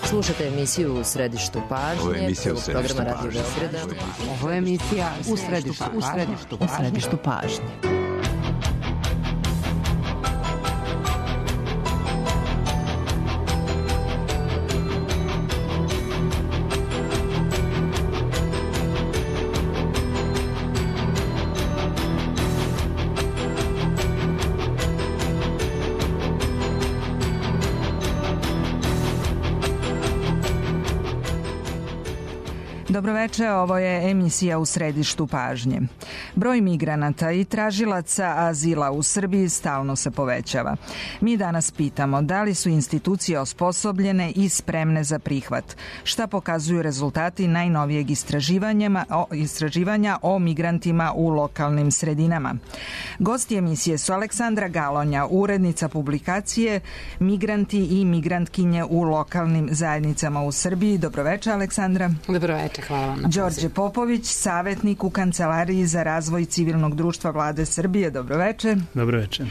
Slušate emisiju U središtu pažnje. Ovo je emisija U središtu programa Radio Beograda. Ovo je emisija U središtu pažnje. Dobroveče, ovo je emisija U središtu pažnje. Broj migranata i tražilaca azila u Srbiji stalno se povećava. Mi danas pitamo da li su institucije osposobljene i spremne za prihvat. Šta pokazuju rezultati najnovijeg istraživanja o migrantima u lokalnim sredinama. Gosti emisije su Aleksandra Galonja, urednica publikacije Migranti i migrantkinje u lokalnim zajednicama u Srbiji. Dobroveče, Aleksandra. Dobroveče. Hvala vam na pozivu. Đorđe Popović, savjetnik u Kancelariji za razvoj civilnog društva Vlade Srbije. Dobroveče. Dobroveče.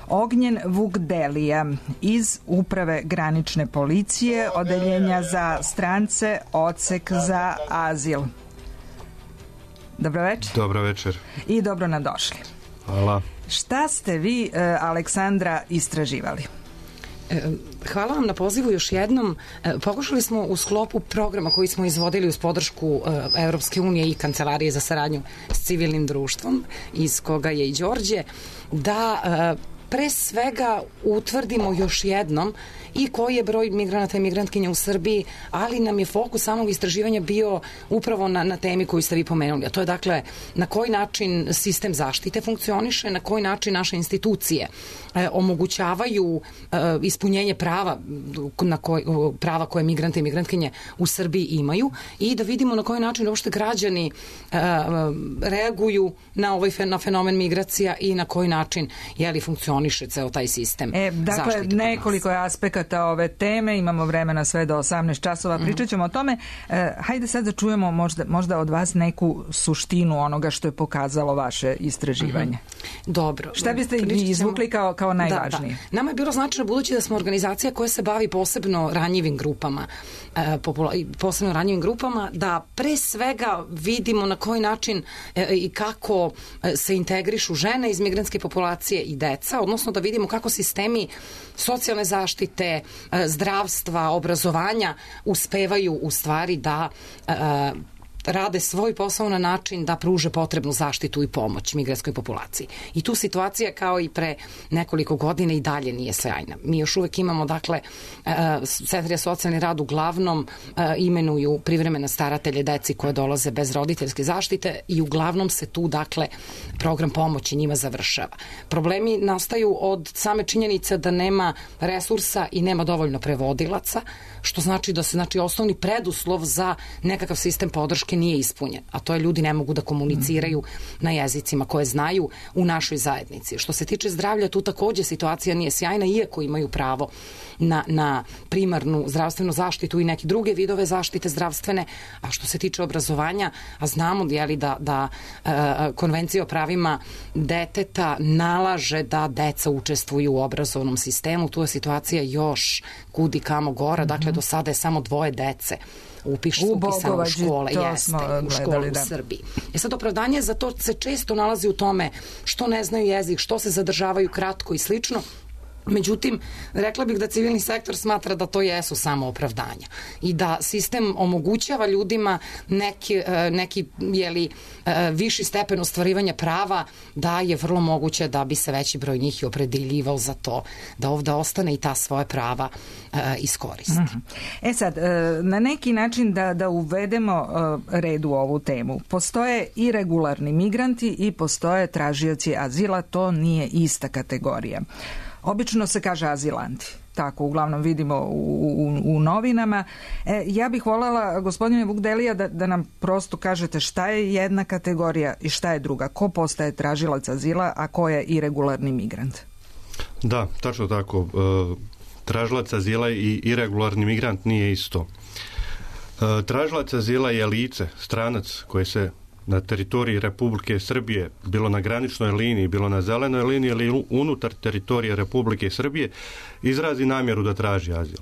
Ognjen Vukdelija iz Uprave granične policije, Odeljenja za strance, Odsek za azil. Dobroveče. Dobroveče. I dobro nadošli. Hvala. Šta ste vi, Aleksandra, istraživali? Hvala vam na pozivu još jednom. Pokušali smo u sklopu programa koji smo izvodili uz podršku Evropske unije i Kancelarije za saradnju s civilnim društvom, iz koga je i Đorđe, da pre svega utvrdimo još jednom i koji je broj migranata i migrantkinja u Srbiji, ali nam je fokus samog istraživanja bio upravo na temi koju ste vi pomenuli, a to je dakle na koji način sistem zaštite funkcioniše, na koji način naše institucije omogućavaju ispunjenje prava koje migrante i migrantkinje u Srbiji imaju i da vidimo na koji način uopšte građani reaguju na fenomen migracija i na koji način funkcioniše ceo taj sistem dakle, zaštite. Nekoliko je aspekata ove teme, imamo vremena sve do 18 časova, pričat ćemo o tome. Hajde sad da čujemo možda od vas neku suštinu onoga što je pokazalo vaše istraživanje. Dobro. Šta biste vi izvukli kao najvažnije? Da. Nama je bilo značajno, budući da smo organizacija koja se bavi posebno ranjivim grupama, da pre svega vidimo na koji način i kako se integrišu žene iz migrantske populacije i deca, odnosno da vidimo kako sistemi socijalne zaštite, zdravstva, obrazovanja uspevaju u stvari da rade svoj posao na način da pruže potrebnu zaštitu i pomoć migrantskoj populaciji. I tu situacija kao i pre nekoliko godina i dalje nije sjajna. Mi još uvek imamo, dakle, centri za socijalni rad uglavnom imenuju privremene staratelje deci koje dolaze bez roditeljske zaštite i uglavnom se tu, dakle, program pomoći njima završava. Problemi nastaju od same činjenice da nema resursa i nema dovoljno prevodilaca, što znači da se osnovni preduslov za nekakav sistem podrške nije ispunjen, a to je ljudi ne mogu da komuniciraju na jezicima koje znaju u našoj zajednici. Što se tiče zdravlja, tu takođe situacija nije sjajna, iako imaju pravo na primarnu zdravstvenu zaštitu i neke druge vidove zaštite zdravstvene, a što se tiče obrazovanja, a znamo da Konvencija o pravima deteta nalaže da deca učestvuju u obrazovnom sistemu, tu je situacija još kudi kamo gora, dakle do sada je samo 2 dece upisano u škole, u škole u Srbiji. Sad opravdanje za to se često nalazi u tome što ne znaju jezik, što se zadržavaju kratko i slično. Međutim, rekla bih da civilni sektor smatra da to jesu samo opravdanja i da sistem omogućava ljudima neki viši stepen ostvarivanja prava, da je vrlo moguće da bi se veći broj njih i opredeljivao za to da ovde ostane i ta svoje prava iskoristi. Sad, na neki način da uvedemo red u ovu temu. Postoje i regularni migranti i postoje tražioci azila, to nije ista kategorija. Obično se kaže azilanti, tako uglavnom vidimo u novinama. Ja bih voljela, gospodine Vukdelija, da nam prosto kažete šta je jedna kategorija i šta je druga. Ko postaje tražilac azila, a ko je iregularni migrant? Da, tačno tako. Tražilac azila i iregularni migrant nije isto. Tražilac azila je lice, stranac koji se na teritoriji Republike Srbije, bilo na graničnoj liniji, bilo na zelenoj liniji ili unutar teritorije Republike Srbije, izrazi namjeru da traži azil.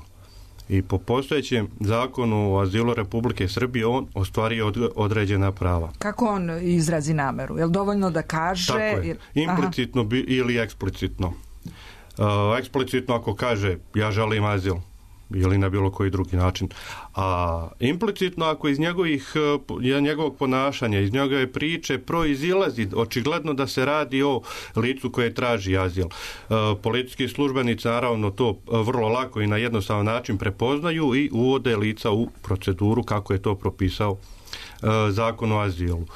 I po postojećem zakonu o azilu Republike Srbije on ostvario određena prava. Kako on izrazi nameru? Je li dovoljno da kaže? Tako je. Implicitno ili eksplicitno. Eksplicitno ako kaže ja želim azil ili na bilo koji drugi način. A implicitno ako iz njegovog ponašanja, iz njegove priče proizilazi očigledno da se radi o licu koje traži azil. Policijski službenici naravno to vrlo lako i na jednostavan način prepoznaju i uvode lica u proceduru kako je to propisao zakon o azilu.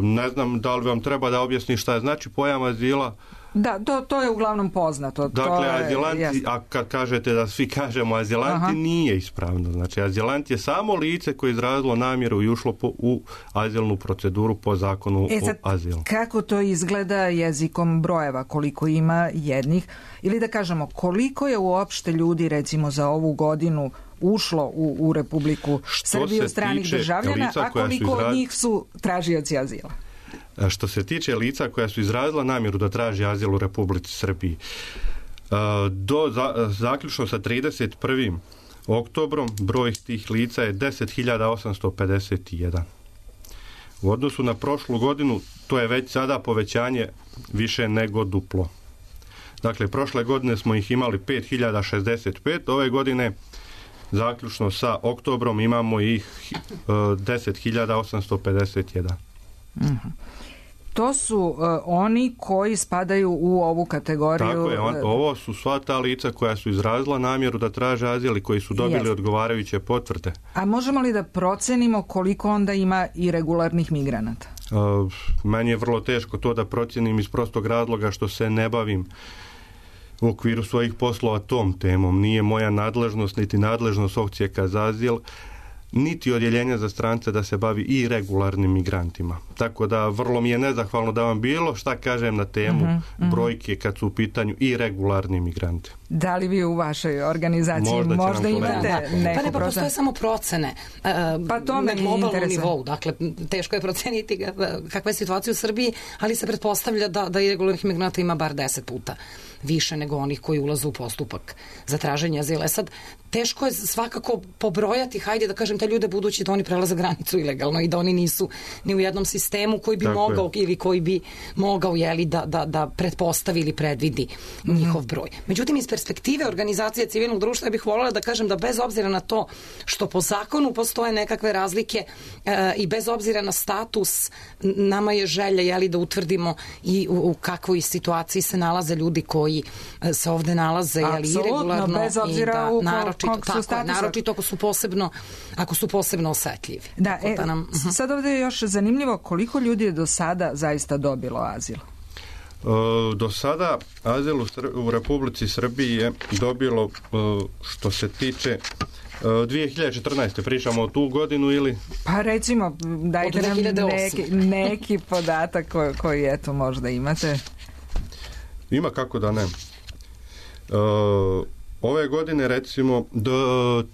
Ne znam da li vam treba da objasni šta znači pojam azila. Da, to je uglavnom poznato. Dakle, azilanti, a kad kažete da svi kažemo azilanti, nije ispravno. Znači, azilant je samo lice koje je izrazilo namjeru i ušlo u azilnu proceduru po zakonu o azilu. Kako to izgleda jezikom brojeva? Koliko ima jednih? Ili da kažemo, koliko je uopšte ljudi, recimo, za ovu godinu ušlo u Republiku Srbiju stranih državljana, a koliko od njih su tražioci azila? Što se tiče lica koja su izrazila namjeru da traži azil u Republici Srbiji, zaključno sa 31. oktobrom broj tih lica je 10.851. U odnosu na prošlu godinu to je već sada povećanje više nego duplo. Dakle, prošle godine smo ih imali 5.065, ove godine zaključno sa oktobrom imamo ih 10.851. To su oni koji spadaju u ovu kategoriju. Tako je, ovo su sva ta lica koja su izrazila namjeru da traže azil i koji su dobili odgovarajuće potvrde. A možemo li da procenimo koliko onda ima irregularnih migranata? Meni je vrlo teško to da procenim iz prostog razloga što se ne bavim u okviru svojih poslova tom temom. Nije moja nadležnost niti nadležnost Odsjeka za azil niti odjeljenja za strance da se bavi i regularnim migrantima. Tako da vrlo mi je nezahvalno da vam bilo šta kažem na temu brojke kad su u pitanju i regularni migranti. Da li vi u vašoj organizaciji možda imate neku procenu? Pa postoje samo procene pa to na globalnom nivou. Dakle, teško je proceniti kakva je situacija u Srbiji, ali se pretpostavlja da irregularnih migranata ima bar 10 puta više nego onih koji ulaze u postupak za traženje azila. Sad, teško je svakako pobrojati, hajde da kažem, te ljude budući da oni prelaze granicu ilegalno i da oni nisu ni u jednom sistemu koji bi mogao ili koji bi mogao da pretpostavi ili predvidi njihov broj. Međutim, iz perspektive organizacije civilnog društva ja bih voljela da kažem da bez obzira na to što po zakonu postoje nekakve razlike i bez obzira na status, nama je želja da utvrdimo i u kakvoj situaciji se nalaze ljudi koji se ovde nalaze iregularno bez obzira u kog su statusa. Naročito ako su posebno osetljivi. Da, sad ovde je još zanimljivo koliko ljudi je do sada zaista dobilo azil. Do sada azil u Republici Srbiji je dobilo, što se tiče 2014. pričamo o tu godinu ili? Pa recimo, dajte nam neki podatak koji eto možda imate. Ima, kako da ne. Ove godine recimo 3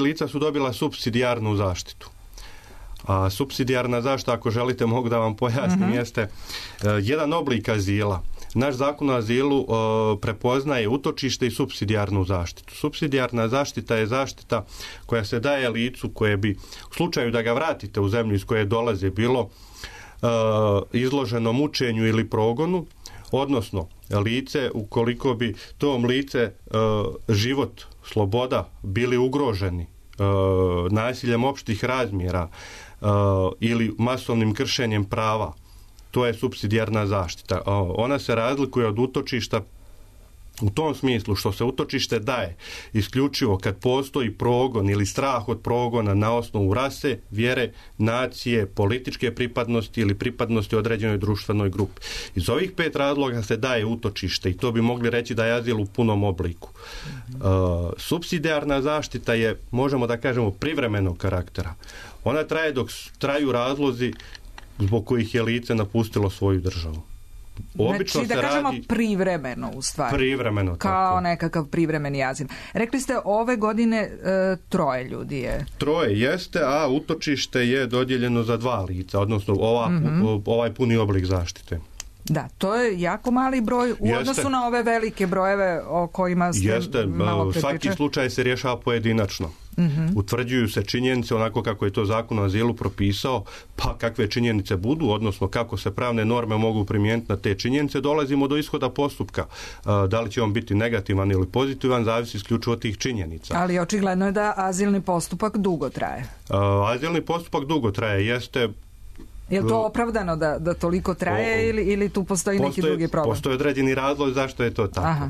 lica su dobila supsidijarnu zaštitu. A supsidijarna zaštita, ako želite, mogu da vam pojasnim, jeste jedan oblik azila. Naš zakon o azilu prepoznaje utočište i supsidijarnu zaštitu. Supsidijarna zaštita je zaštita koja se daje licu koje bi, u slučaju da ga vratite u zemlju iz koje dolaze, bilo izloženo mučenju ili progonu, odnosno lice, ukoliko bi tom lice život, sloboda bili ugroženi nasiljem opštih razmjera ili masovnim kršenjem prava, to je supsidijarna zaštita. Ona se razlikuje od utočišta u tom smislu što se utočište daje isključivo kad postoji progon ili strah od progona na osnovu rase, vjere, nacije, političke pripadnosti ili pripadnosti određenoj društvenoj grupi. Iz ovih 5 razloga se daje utočište i to bi mogli reći da je azil u punom obliku. Supsidijarna zaštita je, možemo da kažemo, privremenog karaktera. Ona traje dok traju razlozi zbog kojih je lice napustilo svoju državu. Obično znači, da kažemo privremeno u stvari. Privremeno, kao tako. Nekakav privremeni azil. Rekli ste ove godine 3 ljudi je. 3 jeste, a utočište je dodijeljeno za 2 lica, odnosno ovaj puni oblik zaštite. Da, to je jako mali broj u odnosu na ove velike brojeve o kojima ste malo prepričali. Svaki slučaj se rješava pojedinačno. Utvrđuju se činjenice onako kako je to Zakon o azilu propisao, pa kakve činjenice budu, odnosno kako se pravne norme mogu primijeniti na te činjenice, dolazimo do ishoda postupka. Da li će on biti negativan ili pozitivan, zavisi isključivo od tih činjenica. Ali očigledno je da azilni postupak dugo traje. Azilni postupak dugo traje, jeste. Je li to opravdano da toliko traje ili tu postoji neki drugi problem? Postoje određeni razlog zašto je to tako.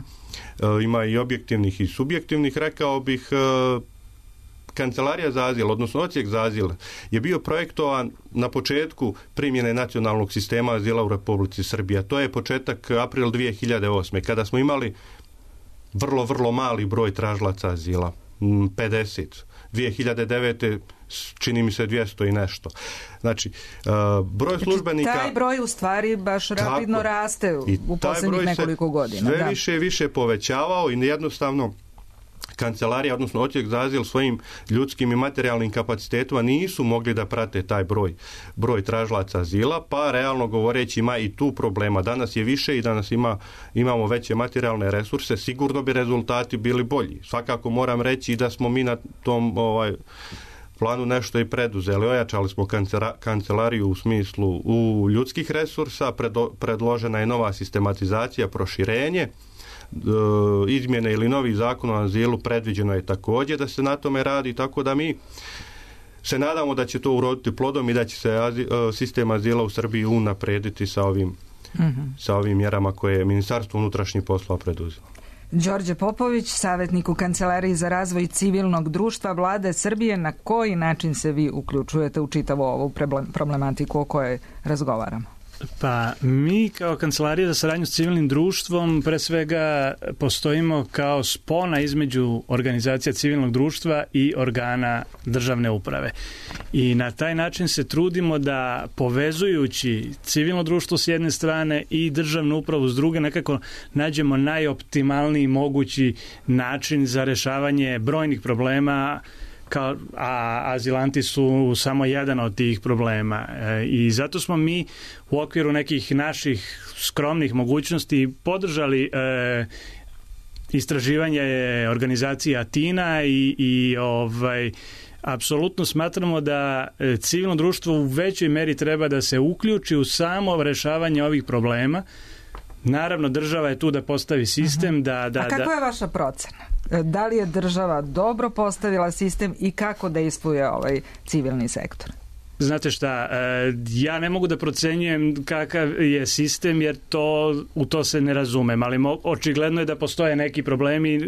Ima i objektivnih i subjektivnih, rekao bih. Kancelarija za azil, odnosno odsjek za azil, je bio projektovan na početku primjene nacionalnog sistema azila u Republici Srbiji. To je početak april 2008. kada smo imali vrlo mali broj tražilaca azila. 50. 2009. čini mi se 200 i nešto. Znači, broj službenika... Taj broj u stvari baš rapidno raste u posljednjih nekoliko godina. Sve više i više povećavao i jednostavno kancelarija, odnosno odsjek za azil svojim ljudskim i materijalnim kapacitetima nisu mogli da prate taj broj tražilaca azila, pa realno govoreći ima i tu problema. Danas je više i danas imamo veće materijalne resurse, sigurno bi rezultati bili bolji. Svakako moram reći da smo mi na tom planu nešto i preduzeli. Ojačali smo kancelariju u smislu ljudskih resursa, predložena je nova sistematizacija, proširenje, izmjene ili novi zakon o azilu predviđeno je također da se na tome radi, tako da mi se nadamo da će to uroditi plodom i da će se sistem azila u Srbiji unaprediti sa ovim mjerama koje je Ministarstvo unutrašnjih poslova preduzelo. Đorđe Popović, savjetnik u Kancelariji za razvoj civilnog društva Vlade Srbije, na koji način se vi uključujete u čitavu ovu problematiku o kojoj razgovaramo? Pa mi kao Kancelarija za saradnju s civilnim društvom pre svega postojimo kao spona između organizacija civilnog društva i organa državne uprave. I na taj način se trudimo da povezujući civilno društvo s jedne strane i državnu upravu s druge nekako nađemo najoptimalniji mogući način za rješavanje brojnih problema, a azilanti su samo jedan od tih problema. I zato smo mi u okviru nekih naših skromnih mogućnosti podržali istraživanje organizacije Atina i apsolutno smatramo da civilno društvo u većoj meri treba da se uključi u samo rješavanje ovih problema. Naravno, država je tu da postavi sistem. A kako je vaša procena? Da li je država dobro postavila sistem i kako dejstvuje ovaj civilni sektor? Znate šta, ja ne mogu da procenjujem kakav je sistem jer u to se ne razumem, ali očigledno je da postoje neki problemi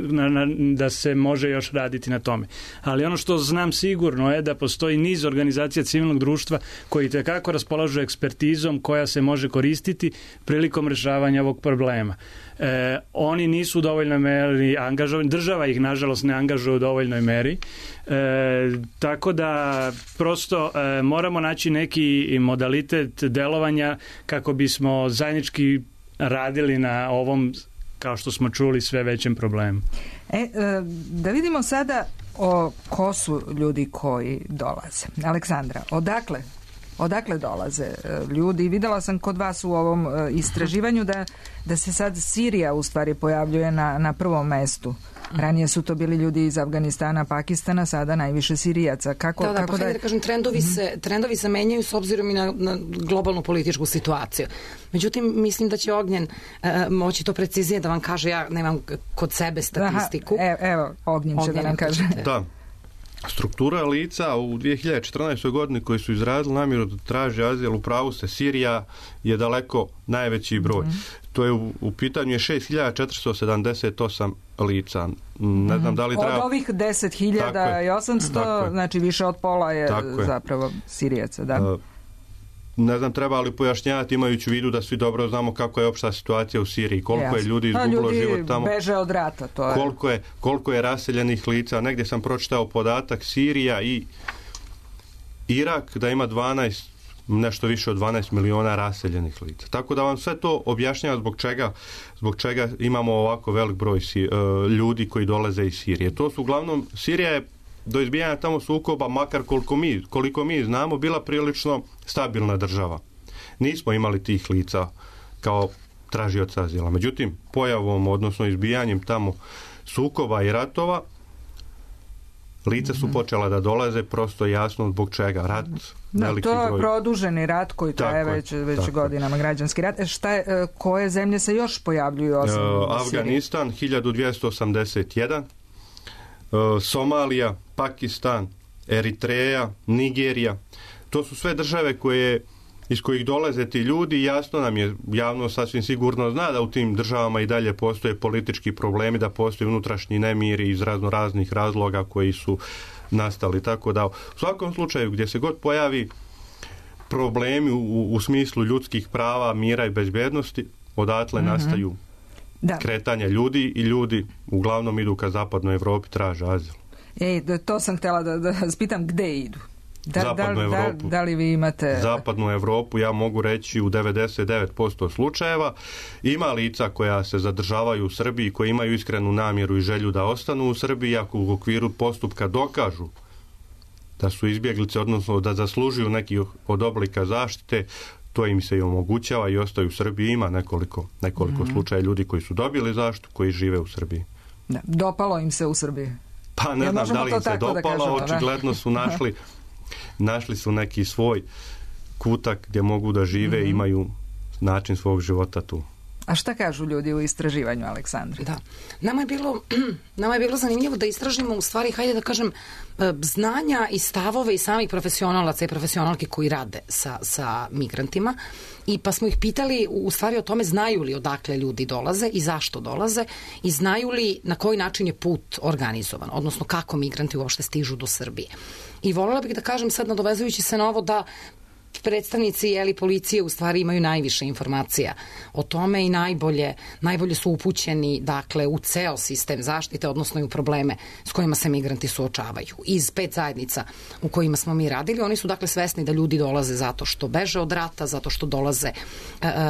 da se može još raditi na tome. Ali ono što znam sigurno je da postoji niz organizacija civilnog društva koji tekako raspolažu ekspertizom koja se može koristiti prilikom rješavanja ovog problema. Oni nisu u dovoljnoj meri angažovani, država ih nažalost ne angažuje u dovoljnoj meri, tako da prosto moramo naći neki modalitet delovanja kako bismo zajednički radili na ovom, kao što smo čuli, sve većem problemu. Da vidimo sada ko su ljudi koji dolaze. Aleksandra, odakle dolaze ljudi? Videla sam kod vas u ovom istraživanju da se sad Sirija u stvari pojavljuje na prvom mestu. Ranije su to bili ljudi iz Afganistana, Pakistana, sada najviše Sirijaca. Da kažem, trendovi se menjaju s obzirom i na globalnu političku situaciju. Međutim, mislim da će Ognjen moći to preciznije da vam kaže, ja nemam kod sebe statistiku. Evo, Ognjen će da nam kaže. Da. Struktura lica u 2014. godini koji su izrazili namjeru da traže azil, u pravu se, Sirija je daleko najveći broj. To je u pitanju je 6.478 lica. Ne znam da li treba... Od ovih 10.800, znači više od pola je zapravo Sirijaca, da. Ne znam, treba li pojašnjavati imajući u vidu da svi dobro znamo kako je opšta situacija u Siriji, koliko je ljudi izgubilo život tamo. Ljudi beže od rata, to je. Koliko je raseljenih lica. Negdje sam pročitao podatak Sirija i Irak da ima nešto više od 12 miliona raseljenih lica. Tako da vam sve to objašnjava zbog čega imamo ovako velik broj ljudi koji dolaze iz Sirije. To su uglavnom, Sirija je do izbijanja tamo sukoba, makar koliko mi znamo, bila prilično stabilna država. Nismo imali tih lica kao tražioca azila. Međutim, pojavom, odnosno izbijanjem tamo sukoba i ratova, lica su počela da dolaze, prosto jasno zbog čega. Rat, veliki broj. To je produženi rat koji traje već godinama, građanski rat. Koje zemlje se još pojavljuju osim Afganistan, 1281, Somalija, Pakistan, Eritreja, Nigerija. To su sve države iz kojih dolaze ti ljudi. Jasno nam je, javno sasvim sigurno zna da u tim državama i dalje postoje politički problemi, da postoje unutrašnji nemiri iz raznih razloga koji su nastali. Tako da u svakom slučaju gdje se god pojavi problemi u smislu ljudskih prava, mira i bezbednosti, odatle nastaju kretanja ljudi i ljudi uglavnom idu ka zapadnoj Evropi, traže azil. To sam htjela da spitam, gde idu? Zapadnu Evropu. Da li vi imate... Zapadnu Evropu, ja mogu reći u 99% slučajeva. Ima lica koja se zadržavaju u Srbiji, koji imaju iskrenu namjeru i želju da ostanu u Srbiji, ako u okviru postupka dokažu da su izbjeglice, odnosno da zaslužuju neki od oblika zaštite, to im se i omogućava i ostaju u Srbiji. Ima nekoliko slučaja ljudi koji su dobili zaštitu, koji žive u Srbiji. Dopalo im se u Srbiji? Pa ne znam da li im se dopalo, očigledno su našli su neki svoj kutak gdje mogu da žive i imaju način svog života tu. A šta kažu ljudi u istraživanju, Aleksandra? Da. Nama je bilo zanimljivo da istražimo, u stvari, hajde da kažem, znanja i stavove i samih profesionalaca i profesionalke koji rade sa migrantima, i pa smo ih pitali u stvari o tome znaju li odakle ljudi dolaze i zašto dolaze i znaju li na koji način je put organizovan, odnosno kako migranti uopšte stižu do Srbije. I voljela bih da kažem sad, nadovezujući se na ovo, da predstavnici policije u stvari imaju najviše informacija o tome i najbolje su upućeni, dakle, u ceo sistem zaštite, odnosno i u probleme s kojima se migranti suočavaju. Iz 5 zajednica u kojima smo mi radili, oni su, dakle, svesni da ljudi dolaze zato što beže od rata, zato što dolaze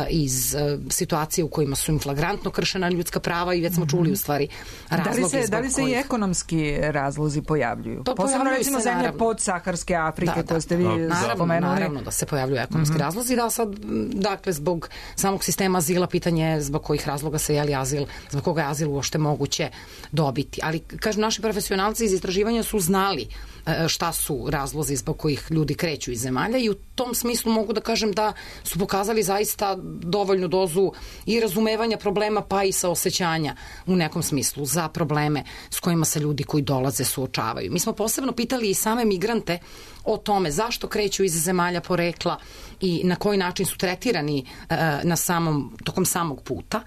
iz situacije u kojima su im flagrantno kršena ljudska prava, i već smo čuli u stvari razloge. Da li se i ekonomski razlozi pojavljuju? Posebno recimo zemlje podsaharske Afrike koje ste vi spomenuli. Naravno da se pojavljuju ekonomski razlozi, da sad, dakle, zbog samog sistema azila, pitanje zbog kojih razloga se azil, zbog koga je azil uopšte moguće dobiti. Ali, kažem, naši profesionalci iz istraživanja su znali šta su razlozi zbog kojih ljudi kreću iz zemalja, i u tom smislu mogu da kažem da su pokazali zaista dovoljnu dozu i razumevanja problema, pa i saosećanja u nekom smislu za probleme s kojima se ljudi koji dolaze suočavaju. Mi smo posebno pitali i same migrante o tome zašto kreću iz zemalja porekla i na koji način su tretirani tokom samog puta.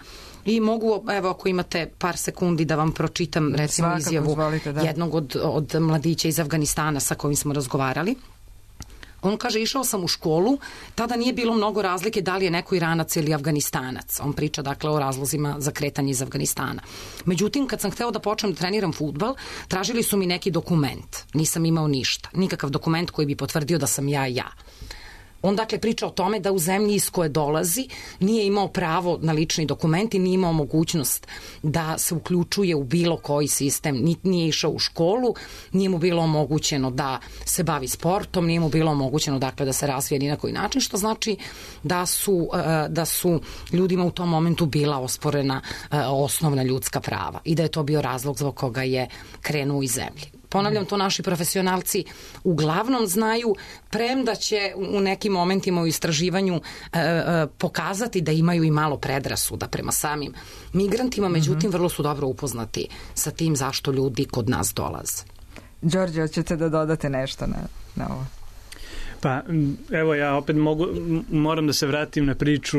I mogu, evo, ako imate par sekundi, da vam pročitam recimo izjavu jednog od mladića iz Afganistana sa kojim smo razgovarali. On kaže, išao sam u školu, tada nije bilo mnogo razlike da li je neko Iranac ili Afganistanac. On priča, dakle, o razlozima za kretanje iz Afganistana. Međutim, kad sam hteo da počnem da treniram fudbal, tražili su mi neki dokument. Nisam imao ništa. Nikakav dokument koji bi potvrdio da sam ja. On, dakle, priča o tome da u zemlji iz koje dolazi nije imao pravo na lični dokument i nije imao mogućnost da se uključuje u bilo koji sistem. Nije išao u školu, nije mu bilo omogućeno da se bavi sportom, nije mu bilo omogućeno, dakle, da se razvije ni na koji način, što znači da su ljudima u tom momentu bila osporena osnovna ljudska prava i da je to bio razlog zbog koga je krenuo iz zemlje. Ponavljam, to naši profesionalci uglavnom znaju, premda će u nekim momentima u istraživanju pokazati da imaju i malo predrasuda prema samim migrantima, međutim, vrlo su dobro upoznati sa tim zašto ljudi kod nas dolaze. Đorđe, hoćete da dodate nešto na ovo? Pa, evo, ja opet moram da se vratim na priču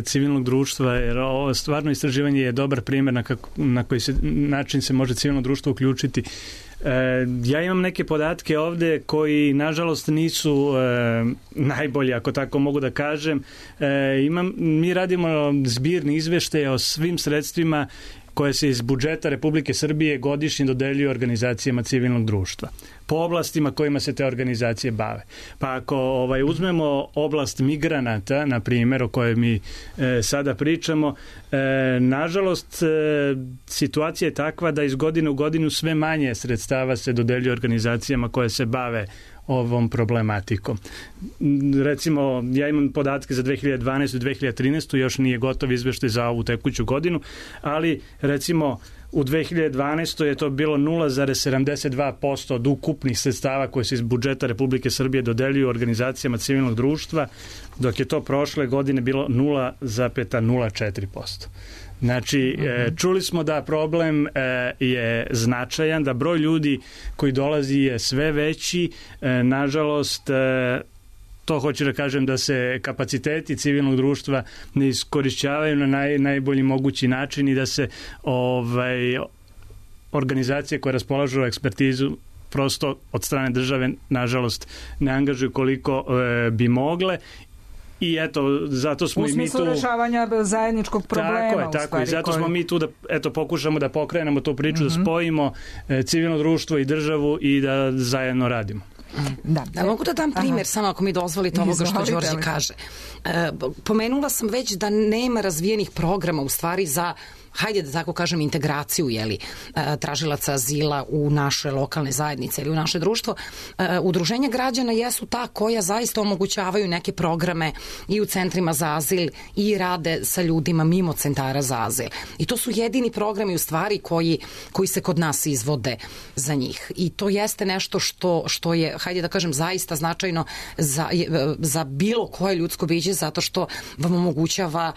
civilnog društva, jer ovo stvarno istraživanje je dobar primjer na koji način se može civilno društvo uključiti. Ja imam neke podatke ovde koji, nažalost, nisu najbolji, ako tako mogu da kažem. Mi radimo zbirni izveštaje o svim sredstvima koje se iz budžeta Republike Srbije godišnje dodeljuju organizacijama civilnog društva po oblastima kojima se te organizacije bave. Pa ako uzmemo oblast migranata, na primjer, o kojoj mi sada pričamo, nažalost, situacija je takva da iz godine u godinu sve manje sredstava se dodeljuje organizacijama koje se bave ovom problematikom. Recimo, ja imam podatke za 2012. i 2013. još nije gotov izveštaj za ovu tekuću godinu, ali recimo u 2012. je to bilo 0,72% od ukupnih sredstava koje se iz budžeta Republike Srbije dodeljuju organizacijama civilnog društva, dok je to prošle godine bilo 0,04%. Znači, čuli smo da problem je značajan, da broj ljudi koji dolazi je sve veći. Nažalost, to hoću da kažem da se kapaciteti civilnog društva ne iskorišćavaju na najbolji mogući način i da se organizacije koje raspolažu ekspertizu prosto od strane države, nažalost, ne angažuju koliko bi mogle. I eto, zato smo i mi tu... U smislu rešavanja zajedničkog problema. Tako je. Zato smo mi tu da pokušamo da pokrenemo tu priču, da spojimo civilno društvo i državu i da zajedno radimo. Da mogu da dam primjer, samo ako mi dozvolite ovoga što Đorđe kaže. Pomenula sam već da nema razvijenih programa u stvari za, hajde da tako kažem, integraciju tražilaca azila u naše lokalne zajednice ili u naše društvo. Udruženja građana jesu ta koja zaista omogućavaju neke programe i u centrima za azil i rade sa ljudima mimo centara za azil. I to su jedini programi u stvari koji se kod nas izvode za njih. I to jeste nešto što je, hajde da kažem, zaista značajno za bilo koje ljudsko biće, zato što vam omogućava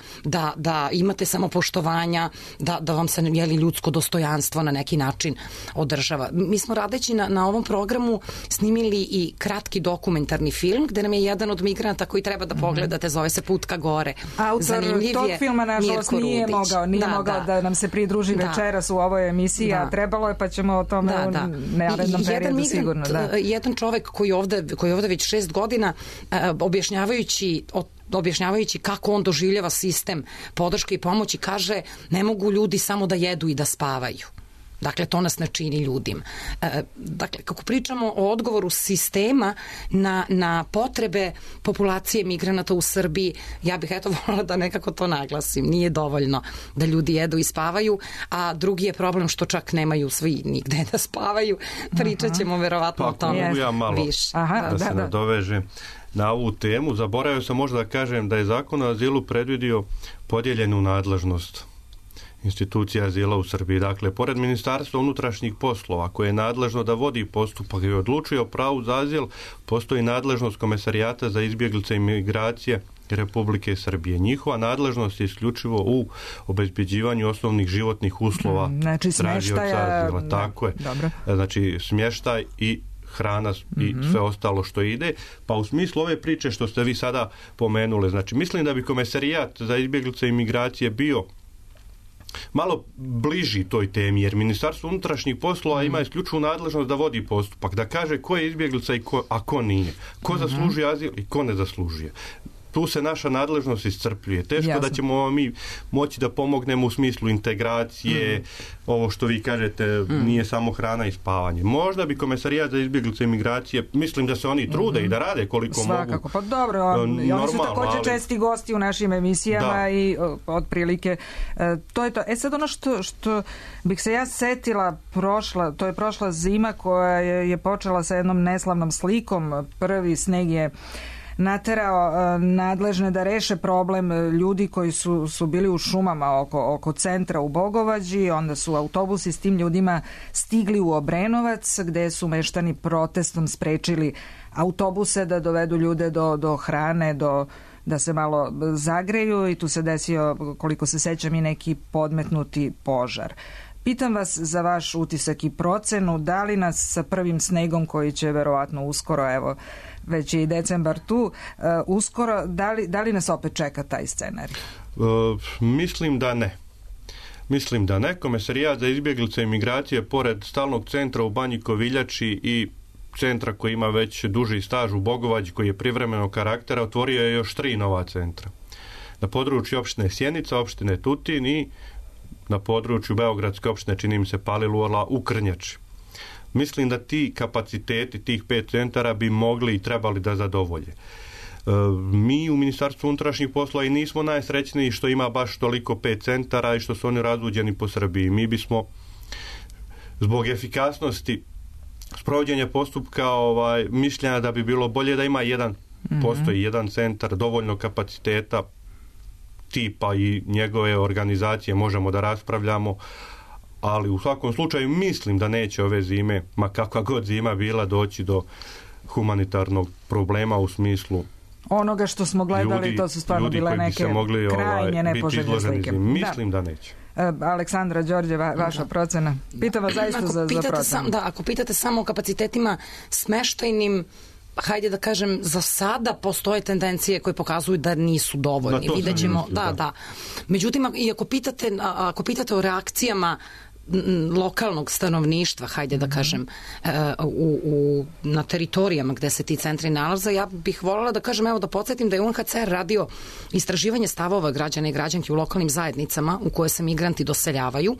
da imate samopoštovanja, da vam se ljudsko dostojanstvo na neki način održava. Mi smo radeći na ovom programu snimili i kratki dokumentarni film gde nam je jedan od migranata koji treba da pogledate, zove se Put ka gore. Autor tog filma nažalost nije mogao da nam se pridruži večeras u ovoj emisiji, a trebalo je, pa ćemo o tome u narednom periodu sigurno. Jedan čovek koji je ovde već 6 godina objašnjavajući kako on doživljava sistem podrške i pomoći, kaže ne mogu ljudi samo da jedu i da spavaju. Dakle, to nas ne čini ljudim. Dakle, kako pričamo o odgovoru sistema na potrebe populacije migranata u Srbiji, ja bih voljela da nekako to naglasim. Nije dovoljno da ljudi jedu i spavaju, a drugi je problem što čak nemaju svi nigde da spavaju. Pričat ćemo verovatno o tome više. Pa ja malo da se nadovežem na ovu temu. Zaboravio sam možda da kažem da je Zakon o azilu predvidio podijeljenu nadležnost institucija azila u Srbiji. Dakle, pored Ministarstva unutrašnjih poslova, koje je nadležno da vodi postupak i odlučuje o pravu za azil, postoji nadležnost Komesarijata za izbjeglice i migracije Republike Srbije. Njihova nadležnost je isključivo u obezbeđivanju osnovnih životnih uslova tražioca azila. Tako je. Dobro. Znači, smještaj i hrana i sve ostalo što ide. Pa u smislu ove priče što ste vi sada pomenuli, znači mislim da bi Komesarijat za izbjeglice i migracije bio malo bliži toj temi, jer Ministarstvo unutrašnjih poslova ima isključivu nadležnost da vodi postupak, da kaže ko je izbjeglica a ko nije, ko zaslužuje azil i ko ne zaslužuje. Tu se naša nadležnost iscrpljuje. Teško da ćemo mi moći da pomognemo u smislu integracije, ovo što vi kažete nije samo hrana i spavanje. Možda bi Komesarijat za izbjeglice i migracije, mislim da se oni trude i da rade koliko mogu. Svakako, pa dobro, oni su također česti gosti u našim emisijama i otprilike to je to. Sad ono što bih se ja setila, to je prošla zima koja je počela sa jednom neslavnom slikom. Prvi sneg je naterao nadležne da reše problem ljudi koji su bili u šumama oko centra u Bogovađi, onda su autobusi s tim ljudima stigli u Obrenovac gde su meštani protestom sprečili autobuse da dovedu ljude do hrane, da se malo zagreju i tu se desio, koliko se sećam, i neki podmetnuti požar. Pitam vas za vaš utisak i procenu, da li nas sa prvim snegom koji će verovatno uskoro, evo već je i decembar tu, uskoro, da li nas opet čeka taj scenarij? Mislim da ne. Komesarijat za izbjeglice i migracije pored stalnog centra u Banji Koviljači i centra koji ima već duži staž u Bogovađi koji je privremenog karaktera, otvorio je još 3 nova centra. Na području opštine Sjenica, opštine Tutin i na području Beogradske opštine, čini mi se, Palilula u Krnjači. Mislim da ti kapaciteti tih 5 centara bi mogli i trebali da zadovolje. Mi u Ministarstvu unutrašnjih poslova i nismo najsrećniji što ima baš toliko 5 centara i što su oni razvuđeni po Srbiji. Mi bismo zbog efikasnosti sprovođenje postupka mišljenja da bi bilo bolje da ima postoji jedan centar, dovoljno kapaciteta tipa i njegove organizacije, možemo da raspravljamo, ali u svakom slučaju mislim da neće ove zime, ma kakva god zima bila, doći do humanitarnog problema u smislu onoga što smo gledali, to su stvarno bile neke krajnje nepoželjne slike. Mislim da neće. Aleksandra, Đorđe, vaša procena? Pitam vas zaista za procenu. Ako pitate samo o kapacitetima smeštajnim, hajde da kažem, za sada postoje tendencije koje pokazuju da nisu dovoljni. Vidjet ćemo, da. Međutim, i ako pitate o reakcijama lokalnog stanovništva, hajde da kažem, na teritorijama gde se ti centri nalaze, ja bih voljela da kažem, evo da podsjetim da je UNHCR radio istraživanje stavova građana i građanki u lokalnim zajednicama u koje se migranti doseljavaju.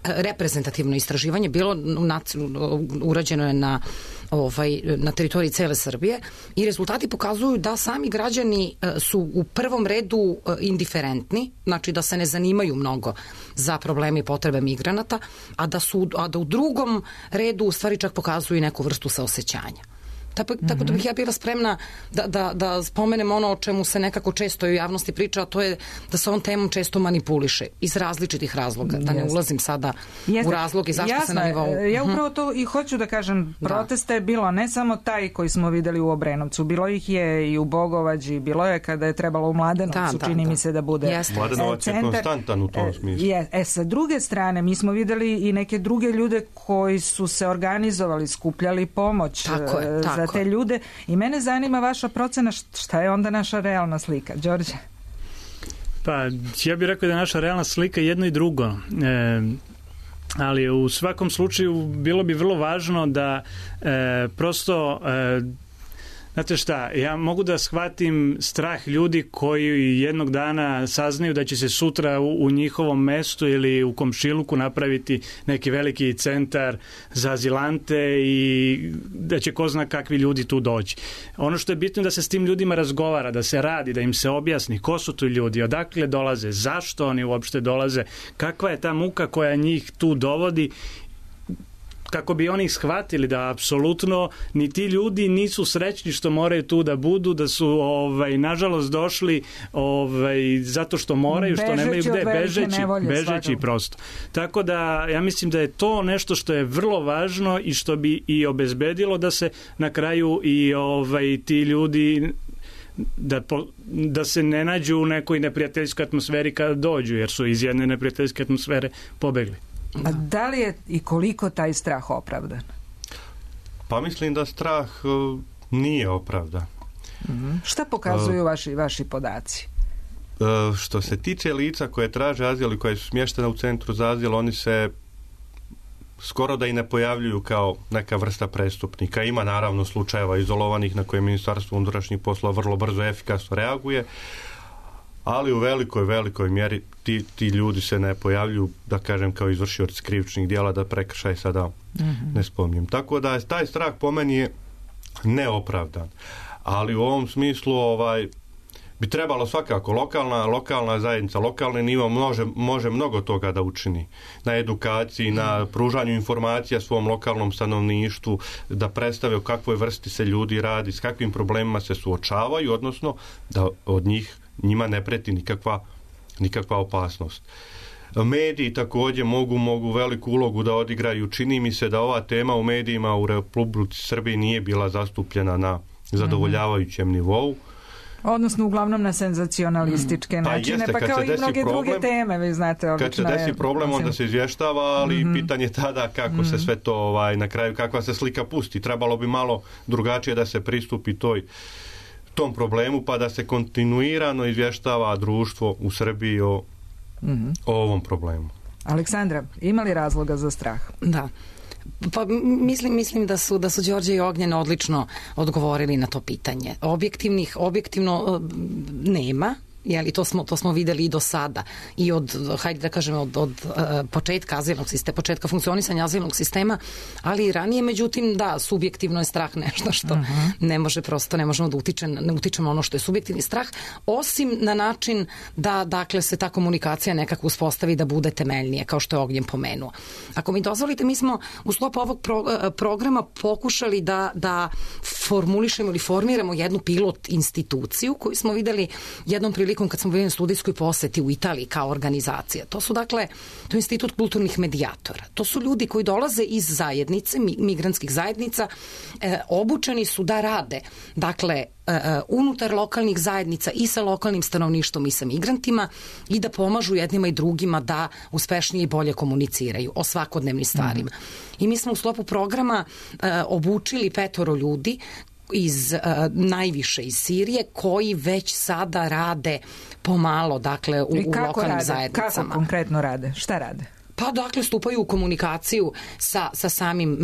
Reprezentativno istraživanje bilo urađeno je na teritoriji cele Srbije i rezultati pokazuju da sami građani su u prvom redu indiferentni, znači da se ne zanimaju mnogo za probleme i potrebe migranata, a da u drugom redu u stvari čak pokazuju neku vrstu saosećanja. Tako da bih ja bila spremna da spomenem ono o čemu se nekako često u javnosti priča, a to je da se on temom često manipuliše iz različitih razloga. Da ne ulazim sada u razloge zašto se na nivou... Ja upravo to i hoću da kažem, protesta je bilo ne samo taj koji smo videli u Obrenovcu, bilo ih je i u Bogovađi, bilo je kada je trebalo u Mladenovcu, čini mi se da bude Mladenovac je konstantan u tom smislu. Sa druge strane, mi smo videli i neke druge ljude koji su se organizovali, skupljali pomoć za te ljude i mene zanima vaša procena, šta je onda naša realna slika? Đorđe? Pa, ja bih rekao da je naša realna slika jedno i drugo. Ali u svakom slučaju bilo bi vrlo važno da prosto znate šta, ja mogu da shvatim strah ljudi koji jednog dana saznaju da će se sutra u njihovom mestu ili u komšiluku napraviti neki veliki centar za azilante i da će ko zna kakvi ljudi tu doći. Ono što je bitno je da se s tim ljudima razgovara, da se radi, da im se objasni ko su tu ljudi, odakle dolaze, zašto oni uopšte dolaze, kakva je ta muka koja njih tu dovodi, kako bi oni shvatili da apsolutno ni ti ljudi nisu srećni što moraju tu da budu, da su nažalost došli zato što moraju, što nemaju gde, bežeći prosto. Tako da ja mislim da je to nešto što je vrlo važno i što bi i obezbedilo da se na kraju i ti ljudi da se ne nađu u nekoj neprijateljskoj atmosferi kada dođu, jer su iz jedne neprijateljske atmosfere pobegli. A da li je i koliko taj strah opravdan? Pa mislim da strah nije opravdan. Šta pokazuju vaši podaci? Što se tiče lica koje traže azil i koje su smještene u centru za azil, oni se skoro da i ne pojavljuju kao neka vrsta prestupnika. Ima naravno slučajeva izolovanih na koje Ministarstvo unutrašnjih poslova vrlo brzo i efikasno reaguje, ali u velikoj mjeri ti ljudi se ne pojavljuju, da kažem, kao izvršioci krivičnih djela, da prekršaj sada ne spominjem. Tako da taj strah po meni je neopravdan. Ali u ovom smislu bi trebalo svakako lokalna zajednica, lokalni nivo može mnogo toga da učini. Na edukaciji, na pružanju informacija svom lokalnom stanovništvu, da predstave o kakvoj vrsti se ljudi radi, s kakvim problemima se suočavaju, odnosno da od njima ne preti nikakva opasnost. Mediji također mogu veliku ulogu da odigraju. Čini mi se da ova tema u medijima u Republici Srbiji nije bila zastupljena na zadovoljavajućem nivou. Odnosno uglavnom na senzacionalističke načine, pa kao i mnoge druge teme, vi znate, obično. Kad se desi problem, onda se izvještava, ali pitanje tada kako se sve to na kraju, kakva se slika pusti. Trebalo bi malo drugačije da se pristupi tom problemu, pa da se kontinuirano izvještava društvo u Srbiji o ovom problemu. Aleksandra, ima li razloga za strah? Da. Pa mislim da su Đorđe i Ognjen odlično odgovorili na to pitanje. Objektivno nema, jeli, to smo videli i do sada i od, hajde da kažem, od početka azilnog sistema, početka funkcionisanja azilnog sistema, ali i ranije, međutim, da, subjektivno je strah nešto što ne možemo da utičemo ono što je subjektivni strah, osim na način da, dakle, se ta komunikacija nekako uspostavi da bude temeljnije, kao što je Ognjen pomenuo. Ako mi dozvolite, mi smo u sklopu ovog programa pokušali da formulišemo ili formiramo jednu pilot instituciju koju smo videli jednom prilikom kad smo bili na studijskoj poseti u Italiji kao organizacija. To su, dakle, to je institut kulturnih medijatora. To su ljudi koji dolaze iz zajednice, migrantskih zajednica, obučeni su da rade, dakle, unutar lokalnih zajednica i sa lokalnim stanovništvom i sa migrantima i da pomažu jednima i drugima da uspešnije i bolje komuniciraju o svakodnevnim stvarima. I mi smo u sklopu programa obučili 5 ljudi najviše iz Sirije, koji već sada rade pomalo, dakle, u lokalnim zajednicama. Kako konkretno rade? Šta rade? Pa, dakle, stupaju u komunikaciju sa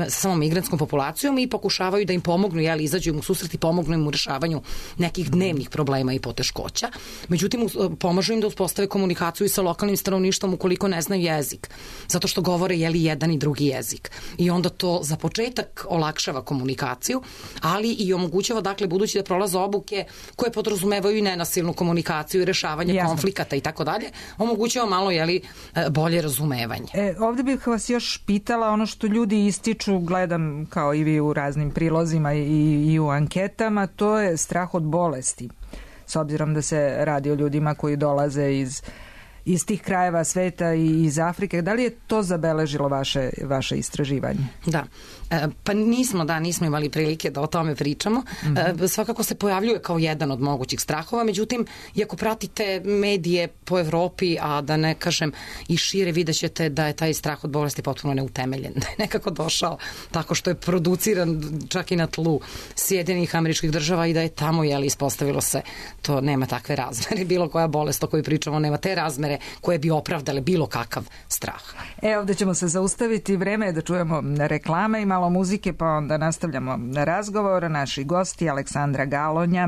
samom migrantskom populacijom i pokušavaju da im pomognu, jeli, izađu im u susret i pomognu im u rešavanju nekih dnevnih problema i poteškoća. Međutim, pomažu im da uspostave komunikaciju i sa lokalnim stanovništvom ukoliko ne znaju jezik, zato što govore, jeli, jedan i drugi jezik. I onda to za početak olakšava komunikaciju, ali i omogućava, dakle, budući da prolaze obuke koje podrazumevaju i nenasilnu komunikaciju i rešavanje konflikata i tako dalje, omogućava malo, jeli, bolje razumevanje. Ovdje bih vas još pitala ono što ljudi ističu, gledam kao i vi u raznim prilozima i u anketama, to je strah od bolesti. S obzirom da se radi o ljudima koji dolaze iz tih krajeva sveta i iz Afrike. Da li je to zabeležilo vaše istraživanje? Da. Pa nismo imali prilike da o tome pričamo. Svakako se pojavljuje kao jedan od mogućih strahova, međutim, iako pratite medije po Evropi, a da ne kažem i šire, vidjet ćete da je taj strah od bolesti potpuno neutemeljen. Da je nekako došao tako što je produciran čak i na tlu Sjedinjenih Američkih Država i da je tamo, jeli, ispostavilo se, to nema takve razmere. Bilo koja bolest o kojoj pričamo nema te razmere koje bi opravdale bilo kakav strah. Ovdje ćemo se zaustaviti, vreme je da čujemo reklame i malo muzike, pa onda nastavljamo razgovor. Naši gosti: Aleksandra Galonja,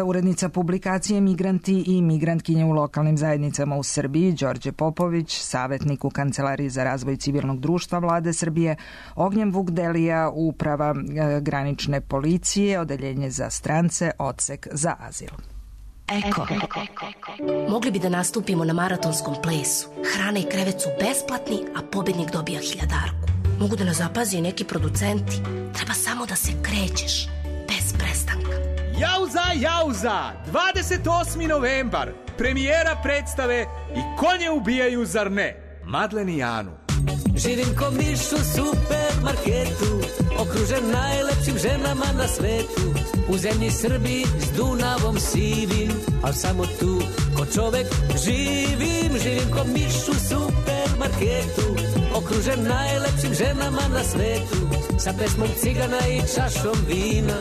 urednica publikacije Migranti i migrantkinje u lokalnim zajednicama u Srbiji, Đorđe Popović, savjetnik u Kancelariji za razvoj civilnog društva Vlade Srbije, Ognjen Vukdelija, uprava granične policije, odeljenje za strance, odsek za azil. Eko. Mogli bi da nastupimo na maratonskom plesu. Hrana i krevet su besplatni, a pobednik dobija 1000. Mogu da nas zapazi neki producenti. Treba samo da se krećeš, bez prestanka. Jauza! 28. novembar. Premijera predstave I konje ubijaju, zar ne? Madlen i Janu. Živim ko miš u supermarketu, okružen najlepšim ženama na svetu. U zemlji Srbiji s Dunavom sivim, al samo tu ko čovek živim. Živim ko miš u supermarketu, okružen najlepšim ženama na svetu. Sa pesmom cigana i čašom vina,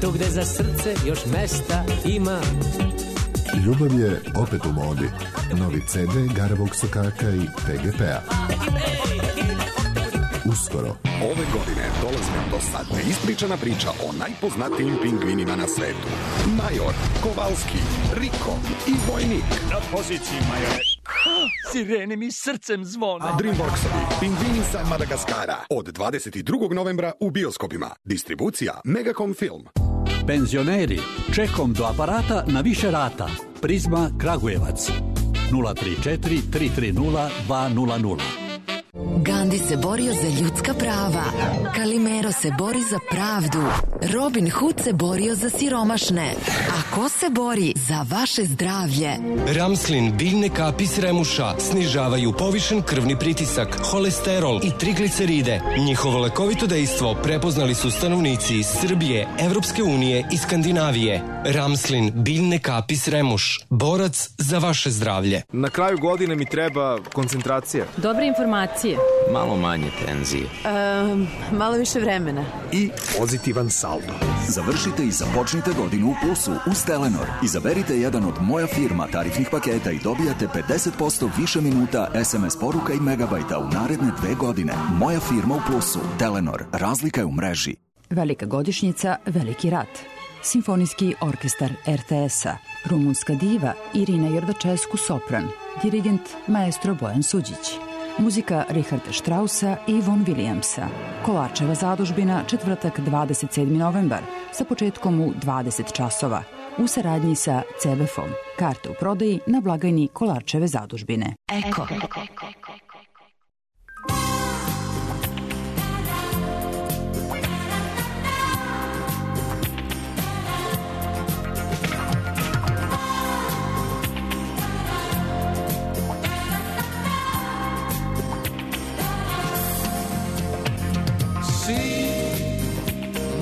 tu gde za srce još mesta ima. Ljubav je opet u modi. Novi CD Garavog Sokaka i PGP-a. Uskoro. Ove godine dolazi nam do sad neispričana priča o najpoznatijim pingvinima na svetu. Major, Kovalski, Riko i Vojnik. Na poziciji, Majore. Sirene mi srcem zvone. Dreamworksovi Pingvini sa Madagaskara. Od 22. novembra u bioskopima. Distribucija Megacom Film. Penzioneri, čekom do aparata na više rata. Prizma Kragujevac. 034 330 200. Gandhi se borio za ljudska prava. Kalimero se bori za pravdu. Robin Hood se borio za siromašne. A ko se bori za vaše zdravlje? Ramslin biljne kapi s remuša snižavaju povišen krvni pritisak, holesterol i trigliceride. Njihovo lekovito dejstvo prepoznali su stanovnici iz Srbije, Evropske unije i Skandinavije. Ramslin biljne kapi s remuš. Borac za vaše zdravlje. Na kraju godine mi treba koncentracija. Dobre informacije. Malo manje tenzije. Malo više vremena. I pozitivan saldo. Završite i započnite godinu u plusu uz Telenor. Izaberite jedan od Moja firma tarifnih paketa i dobijate 50% više minuta, SMS poruka i megabajta u naredne 2 godine. Moja firma u plusu. Telenor. Razlika je u mreži. Velika godišnjica, veliki rat. Simfonijski orkestar RTS-a, rumunska diva Irina Jordačescu sopran, dirigent maestro Bojan Suđić. Muzika Richarda Straussa i Von Williamsa. Kolarčeva zadužbina, četvrtak 27. novembar, sa početkom u 20 časova. U saradnji sa CBF-om. Karte u prodaji na blagajni Kolarčeve zadužbine. Eko.